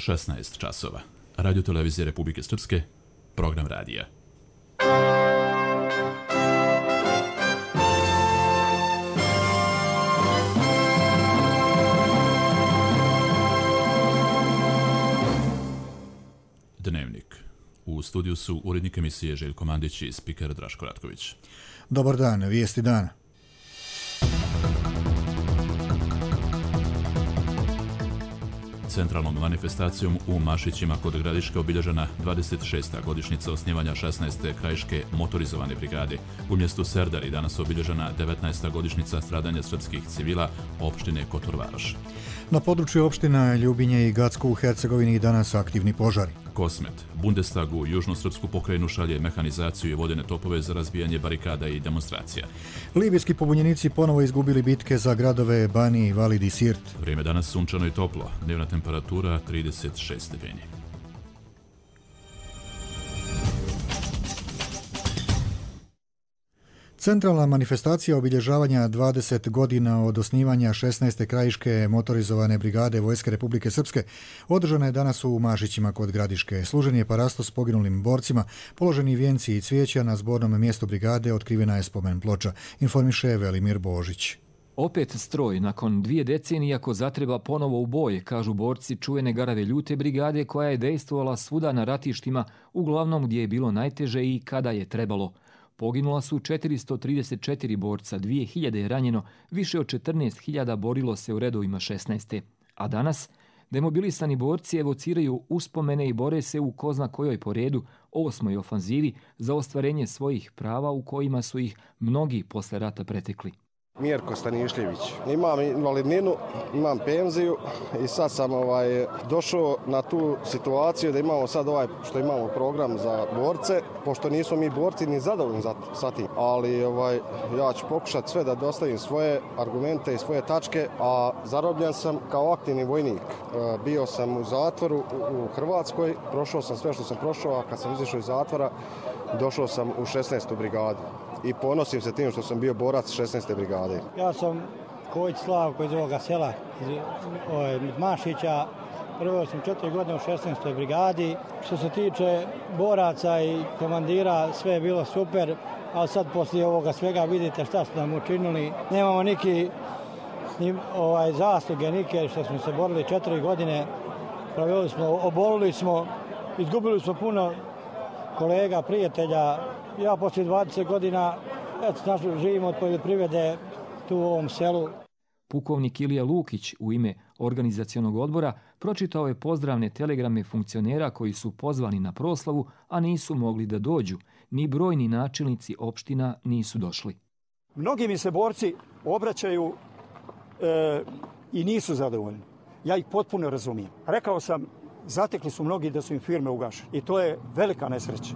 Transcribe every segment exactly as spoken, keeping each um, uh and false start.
šesnaest časova. Radio televizije Republike Srpske, program radija. Dnevnik. U studiju su urednik emisije Željko Mandić i spiker Draško Ratković. Dobar dan, vijesti dana. Centralnom manifestacijom u Mašićima kod Gradiške obilježena dvadeset šesta godišnjica osnivanja šesnaeste krajiške motorizovane brigade. U mjestu Serdari danas obilježena devetnaesta godišnjica stradanja srpskih civila opštine Kotor Varoš. Na području opština Ljubinje i Gacko u Hercegovini danas aktivni požari. Kosmet. Bundestag u južno-srpsku pokrajinu šalje mehanizaciju i vodene topove za razbijanje barikada i demonstracija. Libijski pobunjenici ponovo izgubili bitke za gradove Bani, Valid i Sirt. Vrijeme danas sunčano i toplo. Dnevna temperatura trideset šest stepeni. Centralna manifestacija obilježavanja dvadeset godina od osnivanja šesnaeste krajiške motorizovane brigade Vojske Republike Srpske održana je danas u Mašićima kod Gradiške. Služen je parasto s poginulim borcima, položeni vijenci i cvijeća, na zbornom mjestu brigade otkrivena je spomen ploča, informiše Velimir Božić. Opet stroj, nakon dvije decenije, ako zatreba ponovo u boj, kažu borci čuvene Garave ljute brigade koja je dejstvovala svuda na ratištima, uglavnom gdje je bilo najteže i kada je trebalo. Poginula su četiristo trideset četiri borca, dvije hiljade je ranjeno, više od četrnaest hiljada borilo se u redovima šesnaeste. A danas demobilisani borci evociraju uspomene i bore se u ko zna kojoj po redu osmoj ofanzivi za ostvarenje svojih prava u kojima su ih mnogi posle rata pretekli. Mirko Stanišljević. Imam invalidninu, imam penziju i sad sam ovaj, došao na tu situaciju da imamo sad ovaj što imamo program za borce, pošto nismo mi borci ni zadovoljni za, sa tim. Ali ovaj, ja ću pokušati sve da dostavim svoje argumente i svoje tačke, a zarobljen sam kao aktivni vojnik. E, bio sam u zatvoru u, u Hrvatskoj, prošao sam sve što sam prošao, a kad sam izašao iz zatvora, došao sam u šesnaestu brigadu. I ponosim se tim što sam bio borac šesnaeste brigade. Ja sam Kojić Slavko iz ovoga sela, iz, iz Mašića. Prvo sam četiri godine u šesnaestoj brigadi. Što se tiče boraca i komandira, sve je bilo super, ali sad poslije ovoga svega vidite šta su nam učinili. Nemamo niki ovaj, zasluge, nike što smo se borili četiri godine. Proveli smo, obolili smo, izgubili smo puno kolega, prijatelja. Ja poslije dvadeset godina eto, živim od poljoprivrede tu u ovom selu. Pukovnik Ilija Lukić u ime organizacionog odbora pročitao je pozdravne telegrame funkcionera koji su pozvani na proslavu, a nisu mogli da dođu. Ni brojni načelnici opština nisu došli. Mnogi mi se borci obraćaju e, i nisu zadovoljni. Ja ih potpuno razumijem. Rekao sam, zatekli su mnogi da su im firme ugašene i to je velika nesreća.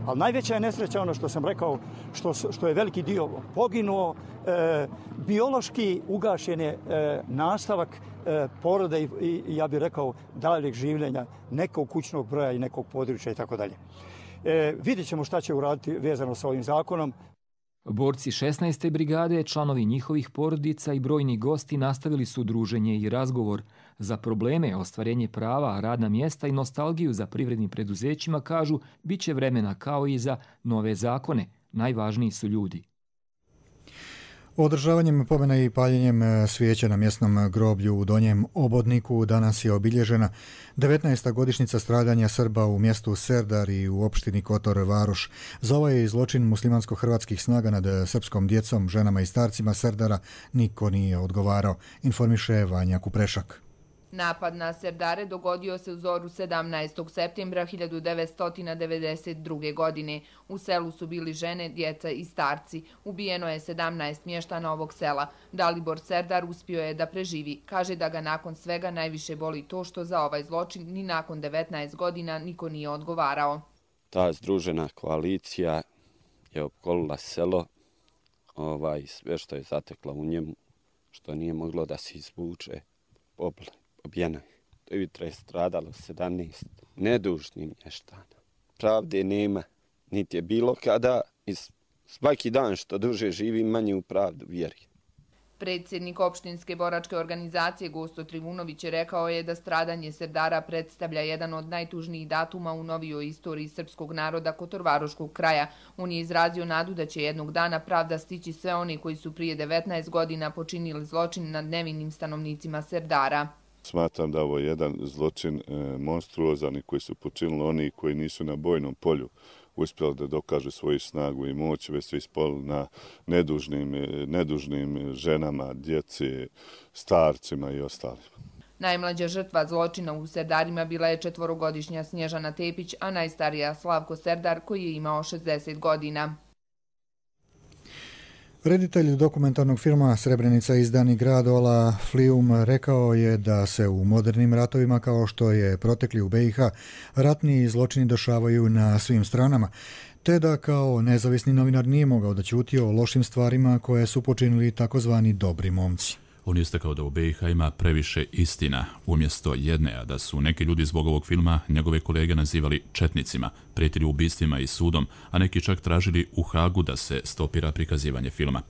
Ali najveća je nesreća ono što sam rekao, što, što je veliki dio poginuo, e, biološki ugašen je e, nastavak e, porode i, i ja bih rekao daljeg življenja nekog kućnog broja i nekog područja i tako dalje. Vidjet ćemo šta će uraditi vezano sa ovim zakonom. Borci šesnaeste brigade, članovi njihovih porodica i brojni gosti nastavili su druženje i razgovor. Za probleme, ostvarenje prava, radna mjesta i nostalgiju za privrednim preduzećima, kažu, bit će vremena kao i za nove zakone. Najvažniji su ljudi. Održavanjem pomena i paljenjem svijeća na mjesnom groblju u Donjem Obodniku danas je obilježena devetnaesta godišnjica stradanja Srba u mjestu Serdar i u opštini Kotor Varoš. Za ovaj zločin muslimansko-hrvatskih snaga nad srpskom djecom, ženama i starcima Serdara niko nije odgovarao, informiše Vanja Kuprešak. Napad na Serdare dogodio se u zoru sedamnaestog septembra hiljadu devetsto devedeset druge. godine. U selu su bili žene, djeca i starci. Ubijeno je sedamnaest mještana ovog sela. Dalibor Serdar uspio je da preživi. Kaže da ga nakon svega najviše boli to što za ovaj zločin ni nakon devetnaest godina niko nije odgovarao. Ta združena koalicija je opkolila selo, ovaj, sve što je zatekla u njemu, što nije moglo da se izvuče, pobila. Pobijena. To je jutra je stradalo sedamnaest nedužnih mještana. Pravde nema, niti je bilo kada i svaki dan što duže živi manje u pravdu vjeri. Predsjednik opštinske boračke organizacije Gosto Trivunović je rekao je da stradanje Serdara predstavlja jedan od najtužnijih datuma u novijoj istoriji srpskog naroda Kotorvaroškog kraja. On je izrazio nadu da će jednog dana pravda stići sve oni koji su prije devetnaest godina počinili zločin nad nevinim stanovnicima Serdara. Smatram da ovo je jedan zločin e, monstruozan i koji su počinili oni koji nisu na bojnom polju uspjeli da dokažu svoju snagu i moć, već su ispali na nedužnim, nedužnim ženama, djeci, starcima i ostalima. Najmlađa žrtva zločina u Serdarima bila je četvorogodišnja Snježana Tepić, a najstarija Slavko Serdar koji je imao šezdeset godina. Reditelj dokumentarnog filma Srebrenica izdani grad Ola Flium rekao je da se u modernim ratovima kao što je protekli u be i ha ratni zločini dešavaju na svim stranama, te da kao nezavisni novinar nije mogao da ćuti o lošim stvarima koje su počinili takozvani dobri momci. On je istakao da u be i ha ima previše istina umjesto jedne, a da su neki ljudi zbog ovog filma njegove kolege nazivali četnicima, prijetili ubistvima i sudom, a neki čak tražili u Hagu da se stopira prikazivanje filma.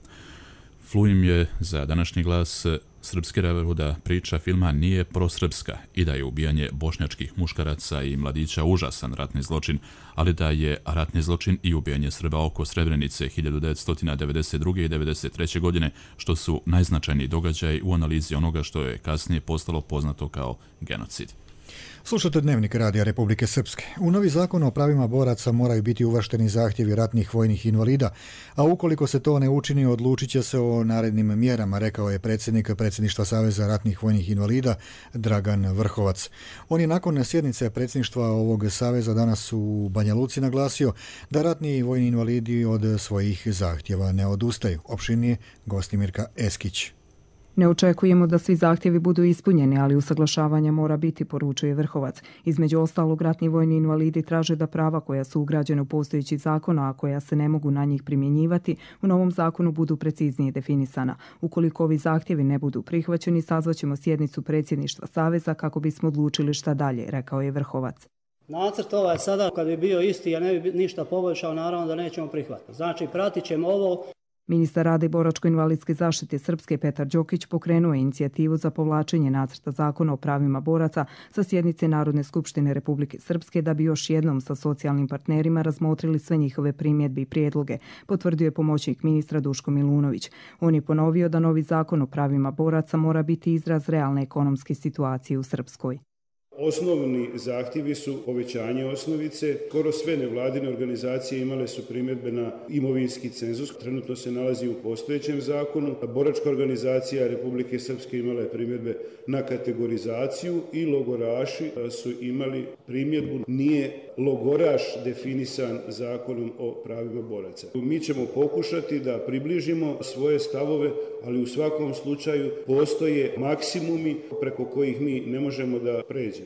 Fluim je za današnji glas srpski reveru da priča filma nije prosrpska i da je ubijanje bošnjačkih muškaraca i mladića užasan ratni zločin, ali da je ratni zločin i ubijanje Srba oko Srebrenice hiljadu devetsto devedeset druge. i devedeset treće. godine, što su najznačajniji događaji u analizi onoga što je kasnije postalo poznato kao genocid. Slušate Dnevnik Radija Republike Srpske. U novi zakon o pravima boraca moraju biti uvršteni zahtjevi ratnih vojnih invalida, a ukoliko se to ne učini, odlučit će se o narednim mjerama, rekao je predsjednik predsjedništva Saveza ratnih vojnih invalida Dragan Vrhovac. On je nakon sjednice predsjedništva ovog saveza danas u Banja Luci naglasio da ratni vojni invalidi od svojih zahtjeva ne odustaju. Opširnije Gostimirka Eskić. Ne očekujemo da svi zahtjevi budu ispunjeni, ali usaglašavanje mora biti, poručuje Vrhovac. Između ostalog, ratni vojni invalidi traže da prava koja su ugrađene u postojeći zakon, a koja se ne mogu na njih primjenjivati, u novom zakonu budu preciznije definisana. Ukoliko ovi zahtjevi ne budu prihvaćeni, sazvaćemo sjednicu predsjedništva Saveza kako bismo odlučili šta dalje, rekao je Vrhovac. Nacrt ovaj sada, kad bi bio isti, a ne bi ništa poboljšao, naravno da nećemo prihvatiti. Znači, pratit ćemo ovo. Ministar rada i boračko-invalidske zaštite Srpske Petar Đokić pokrenuo je inicijativu za povlačenje nacrta zakona o pravima boraca sa sjednice Narodne skupštine Republike Srpske da bi još jednom sa socijalnim partnerima razmotrili sve njihove primjedbe i prijedloge, potvrdio je pomoćnik ministra Duško Milunović. On je ponovio da novi zakon o pravima boraca mora biti izraz realne ekonomske situacije u Srpskoj. Osnovni zahtjevi su povećanje osnovice. Skoro sve nevladine organizacije imale su primjedbe na imovinski cenzus. Trenutno se nalazi u postojećem zakonu. Boračka organizacija Republike Srpske imala je primjedbe na kategorizaciju i logoraši su imali primjedbu. Nije logoraš definisan zakonom o pravima boraca. Mi ćemo pokušati da približimo svoje stavove, ali u svakom slučaju postoje maksimumi preko kojih mi ne možemo da pređemo.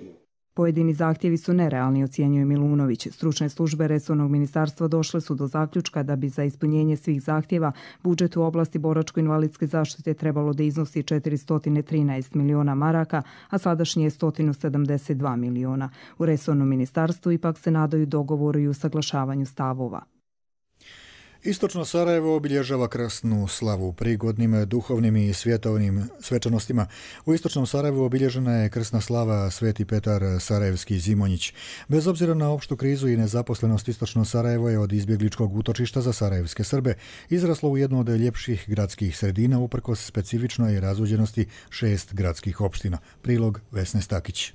Pojedini zahtjevi su nerealni, ocjenjuje Milunović. Stručne službe resornog ministarstva došle su do zaključka da bi za ispunjenje svih zahtjeva budžet u oblasti boračko-invalidske zaštite trebalo da iznosi četiristo trinaest miliona maraka, a sadašnje je sto sedamdeset dva miliona. U resornom ministarstvu ipak se nadaju dogovoru i usaglašavanju stavova. Istočno Sarajevo obilježava krsnu slavu prigodnim duhovnim i svjetovnim svečanostima. U Istočnom Sarajevu obilježena je krsna slava Sveti Petar Sarajevski Zimonjić. Bez obzira na opštu krizu i nezaposlenost, Istočno Sarajevo je od izbjegličkog utočišta za sarajevske Srbe izraslo u jednu od ljepših gradskih sredina uprkos specifičnoj razuđenosti šest gradskih opština. Prilog Vesne Stakić.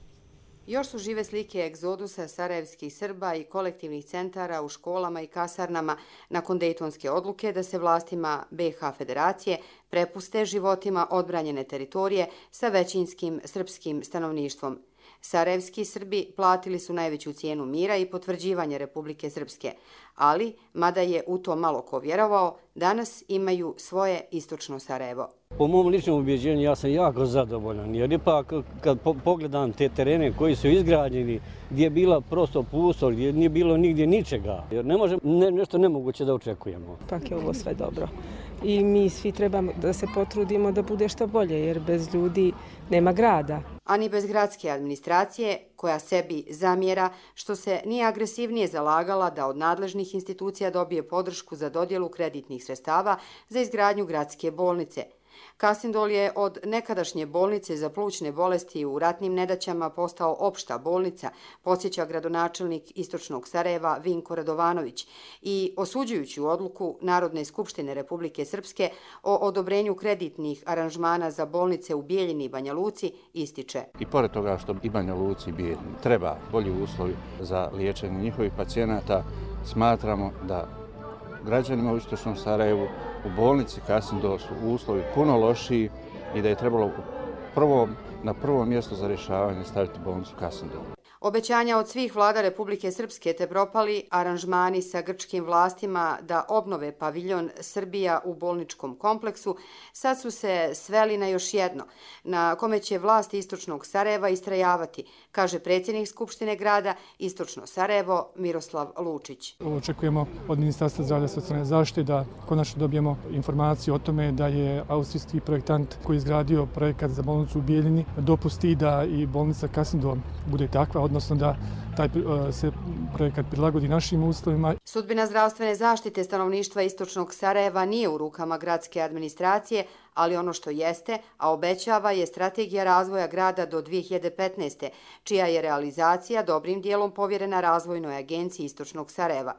Još su žive slike egzodusa sarajevskih Srba i kolektivnih centara u školama i kasarnama nakon dejtonske odluke da se vlastima be i ha Federacije prepuste životima odbranjene teritorije sa većinskim srpskim stanovništvom. Sarajevski Srbi platili su najveću cijenu mira i potvrđivanje Republike Srpske, ali, mada je u to malo ko vjerovao, danas imaju svoje Istočno Sarajevo. Po mom ličnom ubjeđenju ja sam jako zadovoljan, jer ipak kad pogledam te terene koji su izgrađeni, gdje je bila prosto pusto, gdje nije bilo nigdje ničega, jer ne može ne, nešto nemoguće da očekujemo. Pak je ovo sve dobro. I mi svi trebamo da se potrudimo da bude što bolje, jer bez ljudi nema grada. A ni bez gradske administracije, koja sebi zamjera što se nije agresivnije zalagala da od nadležnih institucija dobije podršku za dodjelu kreditnih sredstava za izgradnju gradske bolnice. Kasindol je od nekadašnje bolnice za plućne bolesti u ratnim nedaćama postao opšta bolnica, podsjeća gradonačelnik Istočnog Sarajeva Vinko Radovanović i osuđujući odluku Narodne skupštine Republike Srpske o odobrenju kreditnih aranžmana za bolnice u Bijeljini i Banja Luci ističe. I pored toga što i Banja Luci i Bijeljini treba bolji uslovi za liječenje njihovih pacijenata, smatramo da građanima u Istočnom Sarajevu u bolnici Kasindol su uslovi puno lošiji i da je trebalo prvo, na prvo mjesto za rješavanje staviti bolnicu Kasindol. Obećanja od svih vlada Republike Srpske te propali aranžmani sa grčkim vlastima da obnove paviljon Srbija u bolničkom kompleksu sad su se sveli na još jedno, na kome će vlasti Istočnog Sarajeva istrajavati, kaže predsjednik Skupštine grada Istočno Sarajevo Miroslav Lučić. Očekujemo od Ministarstva zdravlja i socijalne zaštite da konačno dobijemo informaciju o tome da je austrijski projektant koji je izgradio projekat za bolnicu u Bijeljini dopusti da i bolnica Kasindol bude takva, odnosno da taj se projekat prilagodi našim uslovima. Sudbina zdravstvene zaštite stanovništva Istočnog Sarajeva nije u rukama gradske administracije, ali ono što jeste, a obećava, je strategija razvoja grada do dvije hiljade petnaeste. čija je realizacija dobrim dijelom povjerena Razvojnoj agenciji Istočnog Sarajeva.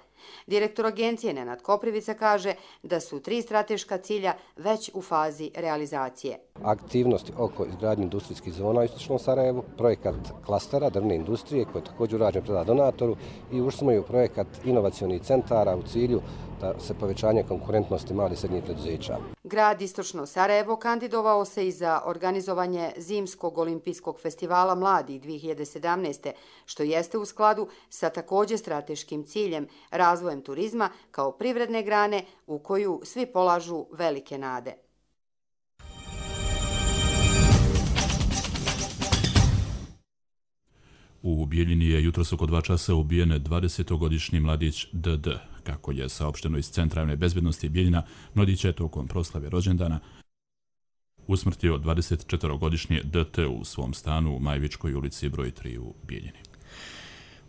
Direktor agencije Nenad Koprivica kaže da su tri strateška cilja već u fazi realizacije. Aktivnosti oko izgradnje industrijskih zona u Istočnom Sarajevu, projekat klastera drvne industrije koji je također urađen prema donatoru i ušli smo i u projekat inovacionih centara u cilju da se povećanje konkurentnosti malih i srednjih preduzeća. Grad Istočno Sarajevo kandidovao se i za organizovanje Zimskog olimpijskog festivala mladih dvije hiljade sedamnaeste. što jeste u skladu sa također strateškim ciljem razvojem turizma kao privredne grane u koju svi polažu velike nade. U Bijeljini je jutros oko dva časa ubijen dvadesetogodišnji mladić D D. Kako je saopšteno iz Centra javne bezbednosti Bijeljina, mladić je tokom proslave rođendana usmrtio dvadesetčetvorogodišnji D T u svom stanu u Majvičkoj ulici broj tri u Bijeljini.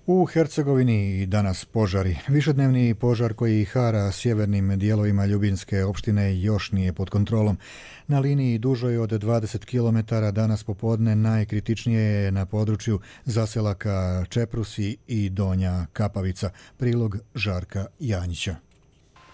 U Hercegovini i danas požari. Višednevni požar koji hara sjevernim dijelovima Ljubinske opštine još nije pod kontrolom. Na liniji dužoj od dvadeset kilometara danas popodne najkritičnije je na području zaselaka Čeprusi i Donja Kapavica. Prilog Žarka Janjića.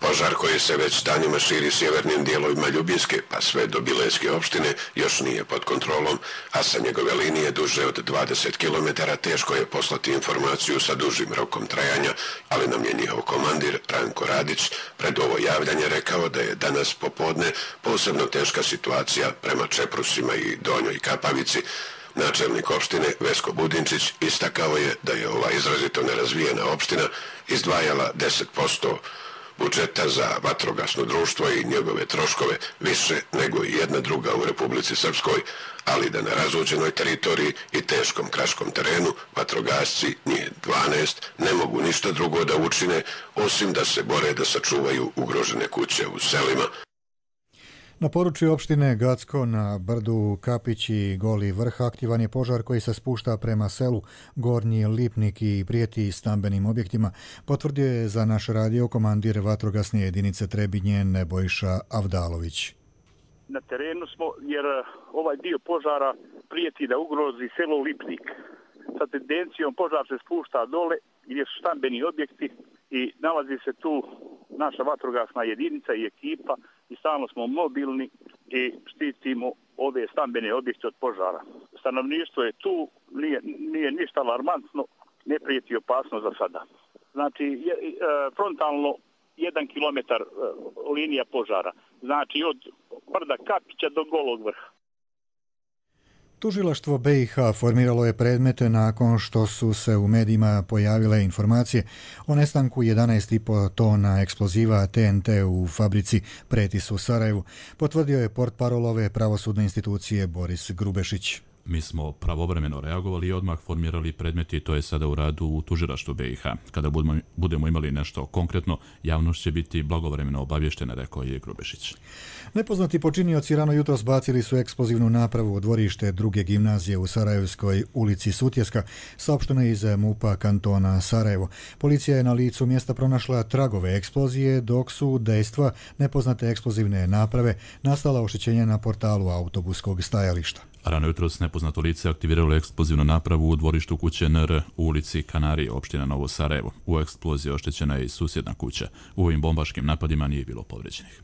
Požar koji se već danima širi sjevernim dijelovima Ljubinske pa sve do Bileske opštine još nije pod kontrolom, a sa njegove linije duže od dvadeset kilometara teško je poslati informaciju sa dužim rokom trajanja, ali nam je njihov komandir Ranko Radić pred ovo javljanje rekao da je danas popodne posebno teška situacija prema Čeprusima i Donjoj Kapavici. Načelnik opštine Vesko Budinčić istakao je da je ova izrazito nerazvijena opština izdvajala deset posto budžeta za vatrogasno društvo i njegove troškove više nego i jedna druga u Republici Srpskoj, ali da na razuđenoj teritoriji i teškom kraškom terenu vatrogasci, njih dvanaest, ne mogu ništa drugo da učine osim da se bore da sačuvaju ugrožene kuće u selima. Na području opštine Gacko na brdu Kapić i Goli vrh aktivan je požar koji se spušta prema selu Gornji Lipnik i prijeti stambenim objektima, potvrdio je za naš radio komandir vatrogasne jedinice Trebinje Nebojša Avdalović. Na terenu smo jer ovaj dio požara prijeti da ugrozi selo Lipnik. Sa tendencijom požar se spušta dole gdje su stambeni objekti i nalazi se tu naša vatrogasna jedinica i ekipa i stalno smo mobilni i štitimo ove stambene objekte od požara. Stanovništvo je tu, nije, nije ništa alarmantno, ne prijeti opasnost za sada. Znači, je, e, frontalno jedan kilometar e, linija požara, znači od brda Kapića do Golog vrha. Tužilaštvo B i H formiralo je predmete nakon što su se u medijima pojavile informacije o nestanku jedanaest i po tona eksploziva T N T u fabrici Pretis u Sarajevu, potvrdio je portparol ove pravosudne institucije Boris Grubešić. Mi smo pravovremeno reagovali i odmah formirali predmeti i to je sada u radu u tužilaštvu B i H. Kada budemo, budemo imali nešto konkretno, javnost će biti blagovremeno obavještena, rekao je Grubešić. Nepoznati počinioci rano jutros bacili su eksplozivnu napravu u dvorište druge gimnazije u Sarajevskoj ulici Sutjeska, saopšteno iz MUP-a kantona Sarajevo. Policija je na licu mjesta pronašla tragove eksplozije, dok su dejstva nepoznate eksplozivne naprave nastala oštećenja na portalu autobuskog stajališta. Rano jutros nepoznato lice aktiviralo eksplozivnu napravu u dvorištu kuće N R u ulici Kanarije, opština Novo Sarajevo. U eksploziji oštećena je i susjedna kuća. U ovim bombaškim napadima nije bilo povređenih.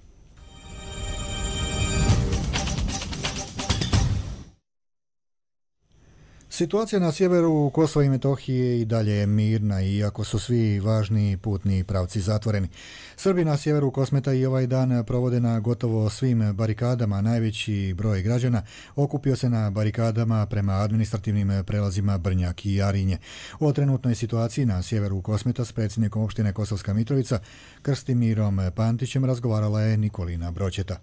Situacija na sjeveru Kosova i Metohije i dalje je mirna, iako su svi važni putni pravci zatvoreni. Srbi na sjeveru Kosmeta i ovaj dan provode na gotovo svim barikadama. Najveći broj građana okupio se na barikadama prema administrativnim prelazima Brnjak i Jarinje. O trenutnoj situaciji na sjeveru Kosmeta s predsjednikom opštine Kosovska Mitrovica Krstimirom Pantićem razgovarala je Nikolina Broćeta.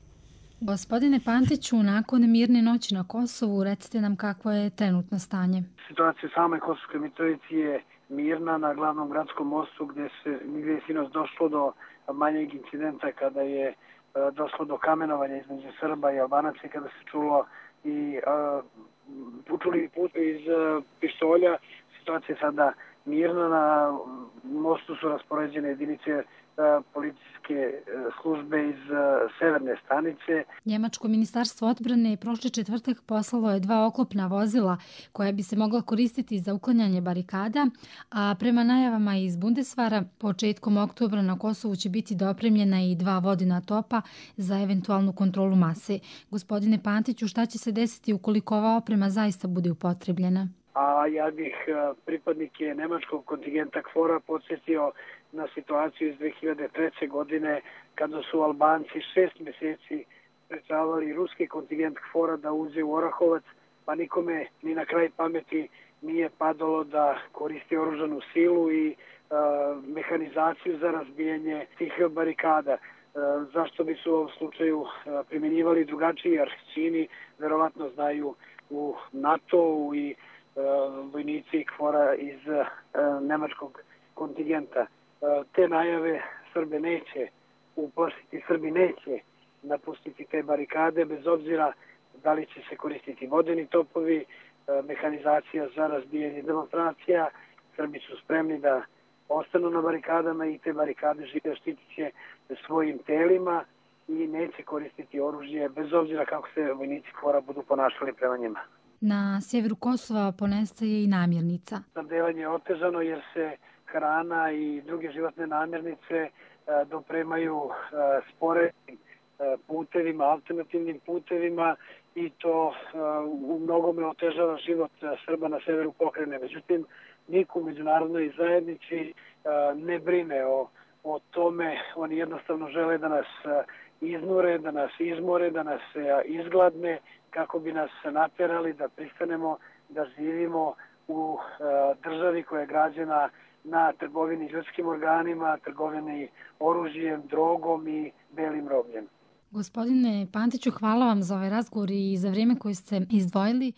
Gospodine Pantiću, nakon mirne noći na Kosovu, recite nam kakvo je trenutno stanje. Situacija same Kosovske Mitrovici je mirna na glavnom gradskom mostu gdje se gdje je sinoć došlo do manjeg incidenta kada je uh, došlo do kamenovanja između Srba i Albanaca, kada se čulo i uh, čuli put iz uh, pištolja. Situacija je sada mirna, na mostu su raspoređene jedinice policijske službe iz severne stanice. Njemačko ministarstvo odbrane prošli četvrtak poslalo je dva oklopna vozila koja bi se mogla koristiti za uklanjanje barikada, a prema najavama iz Bundesvara početkom oktobra na Kosovu će biti dopremljena i dva vodena topa za eventualnu kontrolu mase. Gospodine Pantiću, šta će se desiti ukoliko ova oprema zaista bude upotrebljena? A ja bih pripadnike nemačkog kontingenta KFOR-a podsjetio na situaciju iz dve hiljade treće. godine kada su Albanci šest mjeseci sprečavali ruski kontingent KFOR-a da uđe u Orahovac, pa nikome ni na kraj pameti nije padalo da koristi oružanu silu i uh, mehanizaciju za razbijanje tih barikada. Uh, zašto bi su u ovom slučaju uh, primjenjivali drugačiji Arhčini, verovatno znaju u NATO-u i uh, vojnici KFOR-a iz uh, nemačkog kontingenta. Te najave Srbe neće uplašiti, Srbi neće napustiti te barikade, bez obzira da li će se koristiti vodeni topovi, mehanizacija za razbijanje demonstracija. Srbi su spremni da ostanu na barikadama i te barikade žive štitit će svojim telima i neće koristiti oružje, bez obzira kako se vojnici KFOR-a budu ponašali prema njima. Na sjeveru Kosova ponestaje i namirnica. Snabdevanje je otežano jer se hrana i druge životne namirnice dopremaju sporednim putevima, alternativnim putevima i to u mnogome otežava život Srba na severu pokrajine. Međutim, niko u međunarodnoj zajednici ne brine o, o tome. Oni jednostavno žele da nas iznure, da nas izmore, da nas izgladne, kako bi nas naterali da pristanemo da živimo u državi koja je građena na trgovini ljudskim organima, trgovini oružjem, drogom i belim robljem. Gospodine Pantiću, hvala vam za ovaj razgovor i za vrijeme koje ste izdvojili.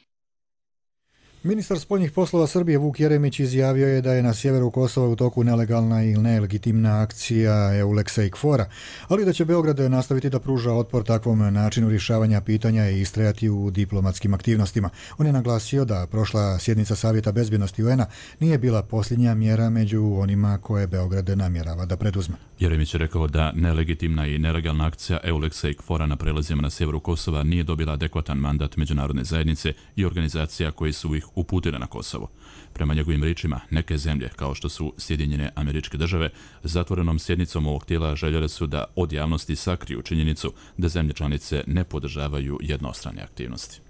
Ministar spoljnih poslova Srbije Vuk Jeremić izjavio je da je na sjeveru Kosova u toku nelegalna ili nelegitimna akcija Euleksa i KFOR-a, ali da će Beograd nastaviti da pruža otpor takvom načinu rješavanja pitanja i istrajati u diplomatskim aktivnostima. On je naglasio da prošla sjednica Savjeta bezbjednosti U N-a nije bila posljednja mjera među onima koje Beograd namjerava da preduzme. Jeremić je rekao da nelegitimna i nelegalna akcija Euleksa i KFOR-a na prelazima na sjeveru Kosova nije dobila adekvatan mandat međunarodne zajednice i organizacija koji su ih uputile na Kosovo. Prema njegovim riječima, neke zemlje, kao što su Sjedinjene Američke Države, zatvorenom sjednicom ovog tijela željele su da od javnosti sakriju činjenicu da zemlje članice ne podržavaju jednostrane aktivnosti.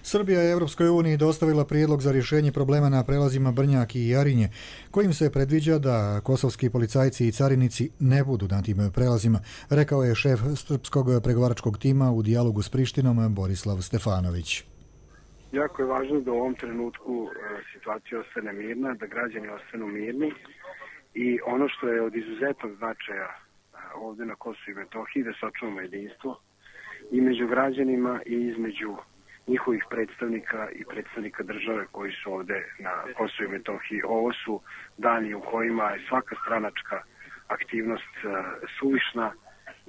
Srbija je Europskoj uniji dostavila prijedlog za rješenje problema na prelazima Brnjak i Jarinje, kojim se predviđa da kosovski policajci i carinici ne budu na tim prelazima, rekao je šef srpskog pregovaračkog tima u dijalogu s Prištinom Borislav Stefanović. Jako je važno da u ovom trenutku situacija ostane mirna, da građani ostanu mirni i ono što je od izuzetnog značaja ovdje na Kosovu i Metohiji, da sačuvamo jedinstvo i među građanima i između njihovih predstavnika i predstavnika države koji su ovde na Kosovu i Metohiji. Ovo su dani u kojima je svaka stranačka aktivnost suvišna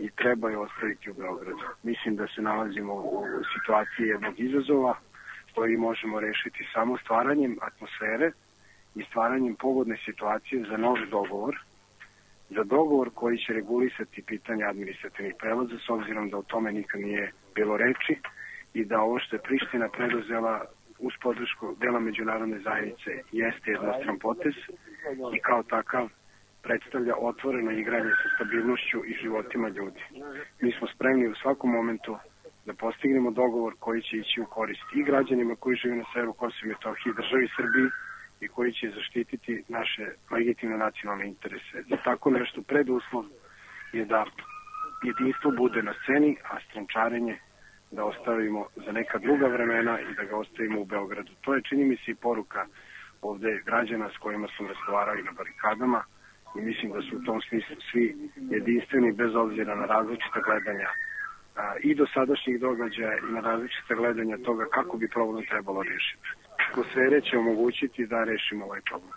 i treba je ostaviti u Beogradu. Mislim da se nalazimo u situaciji jednog izazova koji možemo rešiti samo stvaranjem atmosfere i stvaranjem pogodne situacije za nov dogovor, za dogovor koji će regulisati pitanje administrativnih prelaza, s obzirom da o tome nikad nije bilo reči i da ovo što je Priština preduzela uz podršku dela međunarodne zajednice jeste jednostran potez i kao takav predstavlja otvoreno igranje sa stabilnošću i životima ljudi. Mi smo spremni u svakom momentu da postignemo dogovor koji će ići u korist i građanima koji žive na severu Kosova i Metohije, državi Srbiji i koji će zaštititi naše legitimne nacionalne interese. Za tako nešto preduslov je da jedinstvo bude na sceni, a strančarenje da ostavimo za neka druga vremena i da ga ostavimo u Beogradu. To je, čini mi se, i poruka ovde građana s kojima sam razgovarao na barikadama i mislim da su u tom smislu svi jedinstveni bez obzira na različita gledanja i do sadašnjih događaja i na različite gledanja toga kako bi problem trebalo rešiti. Atmosfere će omogućiti da rešimo ovaj problem.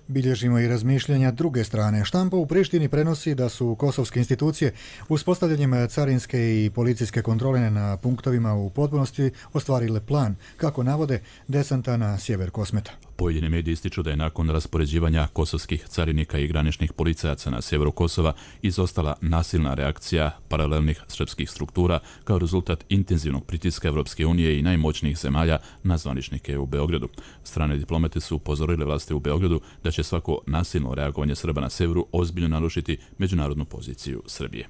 Bilježimo i razmišljanja druge strane. Štampa u Prištini prenosi da su kosovske institucije uspostavljanjem carinske i policijske kontrole na punktovima u potpunosti ostvarile plan, kako navode, desanta na sjever Kosmeta. Pojedini mediji ističu da je nakon raspoređivanja kosovskih carinika i graničnih policajaca na sjeveru Kosova izostala nasilna reakcija paralelnih srpskih struktura kao rezultat intenzivnog pritiska Evropske unije i najmoćnijih zemalja na zvaničnike u Beogradu. Strane diplomate su upozorile vlasti u Beogradu da će svako nasilno reagovanje Srba na severu ozbiljno narušiti međunarodnu poziciju Srbije.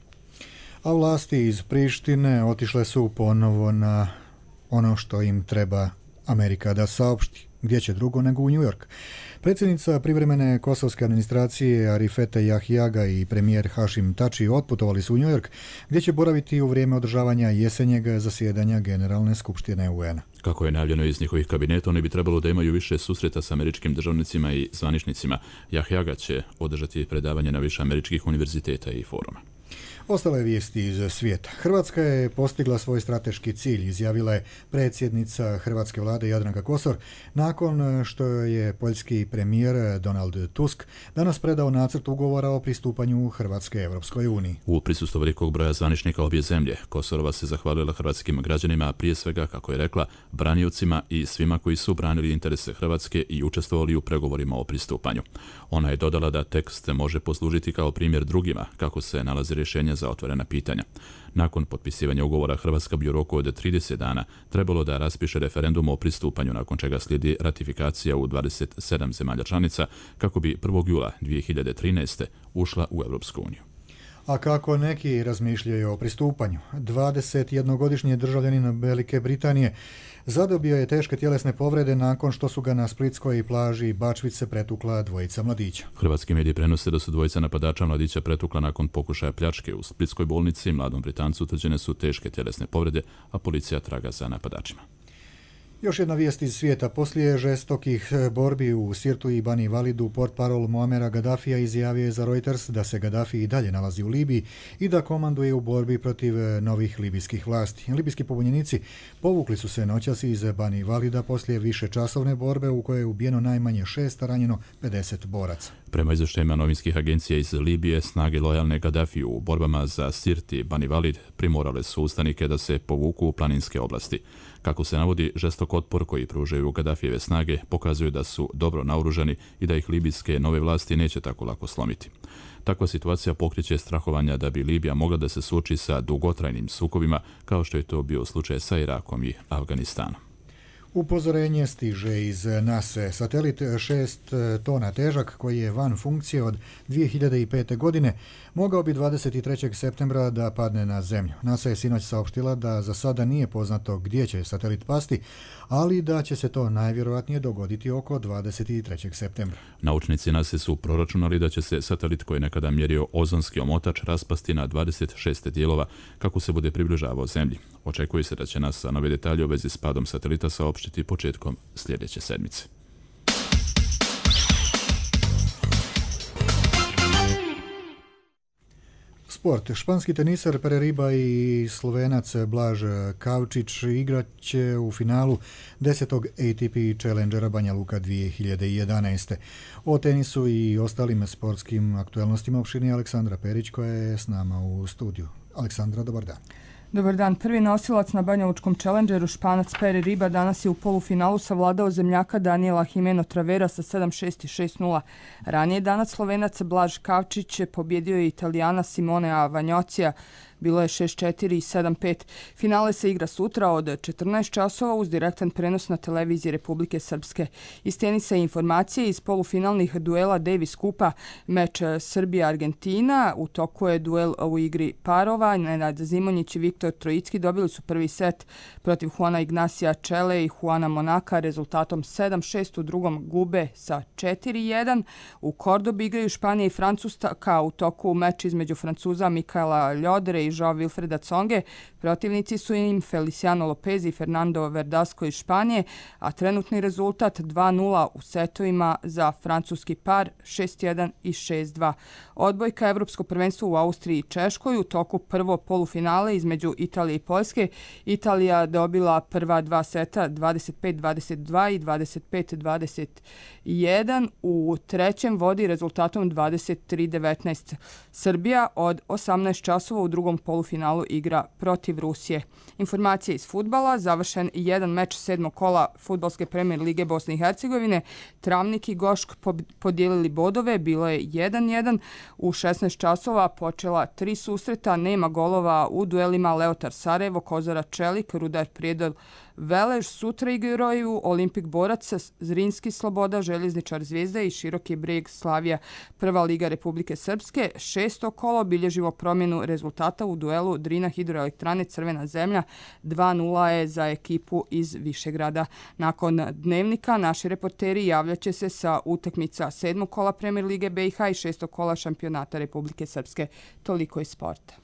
A vlasti iz Prištine otišle su ponovo na ono što im treba Amerika da saopšti. Gdje će drugo nego u New York. Predsjednica privremene kosovske administracije Arifete Jahjaga i premijer Hašim Tači otputovali su u New York, gdje će boraviti u vrijeme održavanja jesenjeg zasjedanja Generalne skupštine U N-a. Kako je najavljeno iz njihovih kabineta, oni bi trebalo da imaju više susreta sa američkim državnicima i zvaničnicima. Jahjaga će održati predavanje na više američkih univerziteta i foruma. Ostale vijesti iz svijeta. Hrvatska je postigla svoj strateški cilj, izjavila je predsjednica hrvatske vlade Jadranka Kosor, nakon što je poljski premijer Donald Tusk danas predao nacrt ugovora o pristupanju Hrvatske Evropskoj uniji. U prisustvu velikog broja zvaničnika obje zemlje, Kosorova se zahvalila hrvatskim građanima, a prije svega, kako je rekla, braniocima i svima koji su branili interese Hrvatske i učestvovali u pregovorima o pristupanju. Ona je dodala da tekst može poslužiti kao primjer drugima kako se nalazi rješenje za otvorena pitanja. Nakon potpisivanja ugovora Hrvatska bi u roku od trideset dana trebalo da raspiše referendum o pristupanju, nakon čega slijedi ratifikacija u dvadeset sedam zemalja članica kako bi prvog jula dvije hiljade trinaeste. ušla u Europsku uniju. A kako neki razmišljaju o pristupanju? dvadesetjednogodišnji državljanin Velike Britanije zadobio je teške tjelesne povrede nakon što su ga na splitskoj plaži Bačvice pretukla dvojica mladića. Hrvatski mediji prenose da su dvojica napadača mladića pretukla nakon pokušaja pljačke u splitskoj bolnici. Mladom Britancu utvrđene su teške tjelesne povrede, a policija traga za napadačima. Još jedna vijest iz svijeta. Poslije žestokih borbi u Sirtu i Bani Validu, portparol Muamera Gaddafija izjavio je za Reuters da se Gaddafi i dalje nalazi u Libiji i da komanduje u borbi protiv novih libijskih vlasti. Libijski pobunjenici povukli su se noćas iz Bani Valida poslije više časovne borbe u kojoj je ubijeno najmanje šest, a ranjeno pedeset boraca. Prema izvještajima novinskih agencija iz Libije, snage lojalne Gaddafiju u borbama za Sirt i Bani Valid primorale su ustanike da se povuku u planinske oblasti. Kako se navodi, žestok otpor koji pružaju Gaddafijeve snage pokazuju da su dobro naoružani i da ih libijske nove vlasti neće tako lako slomiti. Takva situacija pokreće strahovanja da bi Libija mogla da se suoči sa dugotrajnim sukobima, kao što je to bio slučaj sa Irakom i Afganistanom. Upozorenje stiže iz nase. Satelit šest tona težak, koji je van funkcije od dvije hiljade pete. godine, mogao bi dvadeset trećeg septembra da padne na zemlju. NASA je sinoć saopštila da za sada nije poznato gdje će satelit pasti, ali da će se to najvjerojatnije dogoditi oko dvadeset trećeg septembra. Naučnici NASA su proračunali da će se satelit koji je nekada mjerio ozonski omotač raspasti na dvadeset šest dijelova kako se bude približavao zemlji. Očekuje se da će NASA nove detalje u vezi s padom satelita saopštiti početkom sljedeće sedmice. Sport. Španski teniser Pere Riba i Slovenac Blaž Kavčić igrat će u finalu desetog A T P Challengera Banja Luka dvije hiljade jedanaeste. O tenisu i ostalim sportskim aktualnostima opširnije Aleksandra Perić koja je s nama u studiju. Aleksandra, dobar dan. Dobar dan. Prvi nosilac na banjalučkom Challengeru, Španac Pere Riba, danas je u polufinalu savladao zemljaka Daniela Jimeno Travera sa sedam šest i šest nula. Ranije danas Slovenac Blaž Kavčić pobjedio je Italijana Simonea Vanjocija. Bilo je šest četiri i sedam pet. Finale se igra sutra od četrnaest časova uz direktan prenos na televiziji Republike Srpske. Iz tenisa i informacije iz polufinalnih duela Davis Kupa, meč Srbija-Argentina. U toku je duel u igri parova. Nenad Zimonjić i Viktor Trojicki dobili su prvi set protiv Juana Ignacija Čele i Juana Monaka rezultatom sedam šest. U drugom gube sa četiri jedan. U Kordobi igraju Španija i Francuska. U toku meč između Francuza Mikaela Ljodere i Joao Wilfreda Tsonge. Protivnici su im Feliciano Lopez i Fernando Verdasco iz Španije, a trenutni rezultat dva nula u setovima za francuski par šest jedan i šest dva. Odbojka Evropsko prvenstvo u Austriji i Češkoj. U toku prvo polufinale između Italije i Poljske. Italija dobila prva dva seta dvadeset pet dvadeset dva i dvadeset pet dvadeset jedan. U trećem vodi rezultatom dvadeset tri devetnaest. Srbija od osamnaest časova u drugom polufinalu igra protiv Rusije. Informacije iz fudbala. Završen jedan meč sedmog kola Fudbalske premijer lige Bosne i Hercegovine. Travnik i Gošk podijelili bodove. Bilo je jedan jedan. U šesnaest časova počela tri susreta. Nema golova u duelima Leotar Sarajevo, Kozara Čelik, Rudar Prijedor Velež. Sutra igraju Olimpik Borac, Zrinski Sloboda, Željezničar Zvijezda i Široki Brijeg Slavija. Prva liga Republike Srpske. Šesto kolo bilježimo promjenu rezultata u duelu Drina Hidroelektrane Crvena zemlja. dva nula je za ekipu iz Višegrada. Nakon dnevnika naši reporteri javljaće se sa utakmica sedmog kola Premier lige B i H i šestog kola šampionata Republike Srpske. Toliko iz sporta.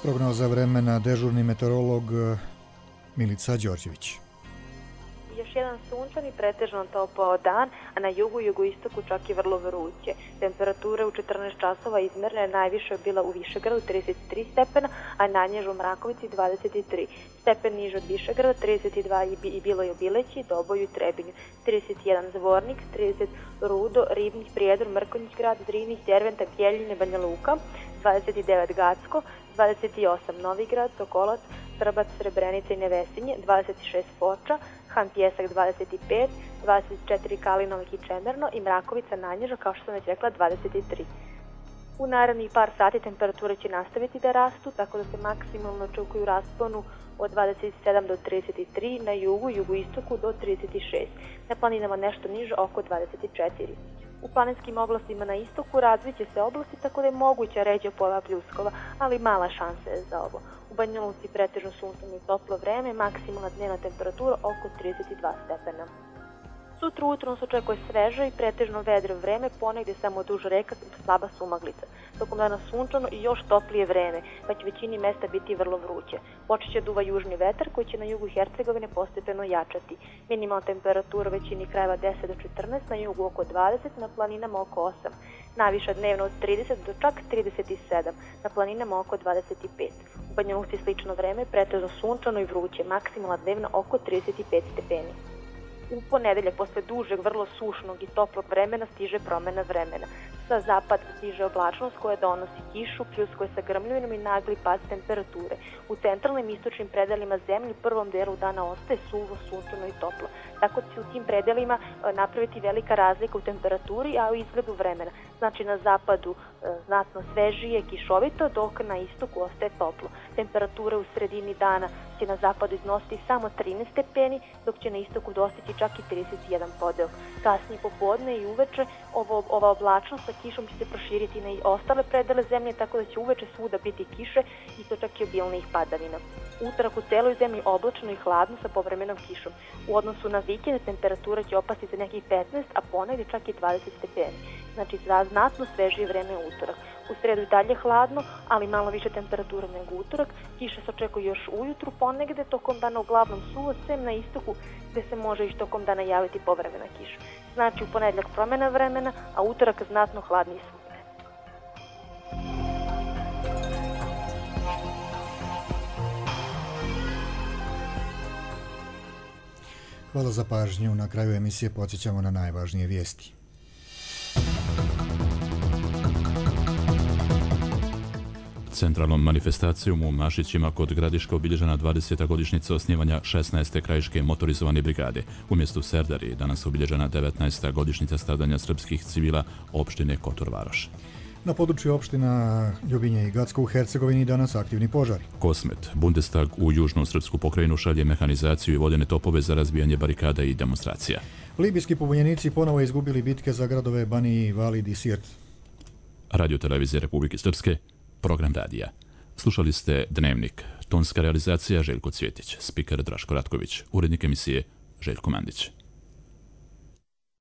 Prognoza vremena, dežurni meteorolog Milica Đorđević. Još jedan sunčan i pretežno topao dan, a na jugu i jugoistoku čak i vrlo vruće. Temperature u četrnaest časova izmerne najviše je bila u Višegradu trideset tri stepena, a najniže u Mrakovici dvadeset tri. Stepen niže od Višegrada trideset dva i bilo je u Bileći, Doboju i Trebinju. trideset jedan Zvornik, trideset Rudo, Ribnik, Prijedor, Mrkonjić grad, Zrini, Derventa, Bjeljine, Banja Luka, dvadeset devet Gacko, dvadeset osam Novigrad, Sokolac, Srbac, Srebrenica i Nevesinje, dvadeset šest Foča, Han Pjesak dvadeset pet, dvadeset četiri Kalinovik i Čemerno i Mrakovica najniža, kao što sam već rekla, dvadeset tri. U narednih par sati temperature će nastaviti da rastu, tako da se maksimalno očekuju rasponu od dvadeset sedam do trideset tri, na jugu i jugoistoku do trideset šest, na planinama nešto niže oko dvadeset četiri. U planinskim oblastima na istoku razviće se oblasti, tako da je moguća ređa pojava pljuskova, ali mala šansa je za ovo. U Banja Luci pretežno sunčano i toplo vreme, maksimalna dnevna temperatura oko trideset dva stepena. Sutra ujutro nas očekuje sveže i pretežno vedro vreme, ponegdje samo duž reka, slaba sumaglica. Tokom dana sunčano i još toplije vreme, pa će većini mesta biti vrlo vruće. Počet će duva južni vetar koji će na jugu Hercegovine postepeno jačati. Minimalna temperatura u većini krajeva deset do četrnaest, na jugu oko dvadeset, na planinama oko osam. Najviša dnevno od trideset do čak trideset sedam, na planinama oko dvadeset pet. U Banja Luci slično vreme, pretežno sunčano i vruće, maksimalna dnevna oko trideset pet stepeni. U ponedeljak, posle dužeg, vrlo sušnog i toplog vremena, stiže promjena vremena. Sa zapada stiže oblačnost koja donosi kišu, pljuskuje sa grmljovinom i nagli pad temperature. U centralnim istočnim predelima zemlje u prvom delu dana ostaje suvo, sunčano i toplo. Tako će u tim predelima napraviti velika razlika u temperaturi, a u izgledu vremena. Znači na zapadu znatno svežije, kišovito, dok na istoku ostaje toplo. Temperatura u sredini dana će na zapadu iznositi samo trinaest stepeni, dok će na istoku dostići čak i trideset jedan podeo. Kasnije popodne i uveče ovo, ova oblačnost sa kišom će se proširiti na ostale predele zemlje, tako da će uveče svuda biti kiše i to čak i obilnih padavina. Utorak u celoj zemlji oblačno i hladno sa povremenom kišom. U odnosu na vikend temperatura će opasti za nekih petnaest, a ponegdje čak i dvadeset stepeni. Znači za znatno svežije vreme utorak. U sredu i dalje hladno, ali malo više temperatura nego utorak. Kiše se očekuje još ujutru, ponegde tokom dana uglavnom suvo, sem na istoku gde se može i tokom dana javiti povremena kiša. Znači u ponedjeljak promjena vremena, a utorak znatno hladniji svugde. Hvala za pažnju. Na kraju emisije podsjećamo na najvažnije vijesti. Centralnom manifestacijom u Mašićima kod Gradiška obilježena dvadeseta godišnjica osnivanja šesnaeste krajiške motorizovane brigade. U mjestu Serdari danas obilježena devetnaesta godišnjica stradanja srpskih civila opštine Kotor Varoš. Na području opština Ljubinje i Gacko u Hercegovini danas aktivni požari. Kosmet, Bundestag u južnu srpsku pokrajinu šalje mehanizaciju i vodene topove za razbijanje barikada i demonstracija. Libijski pobunjenici ponovo izgubili bitke za gradove Bani, Valid i Sirt. Radio televizije Republike Srpske, program radija. Slušali ste Dnevnik, tonska realizacija Željko Cvjetić, spiker Draško Ratković, urednik emisije Željko Mandić.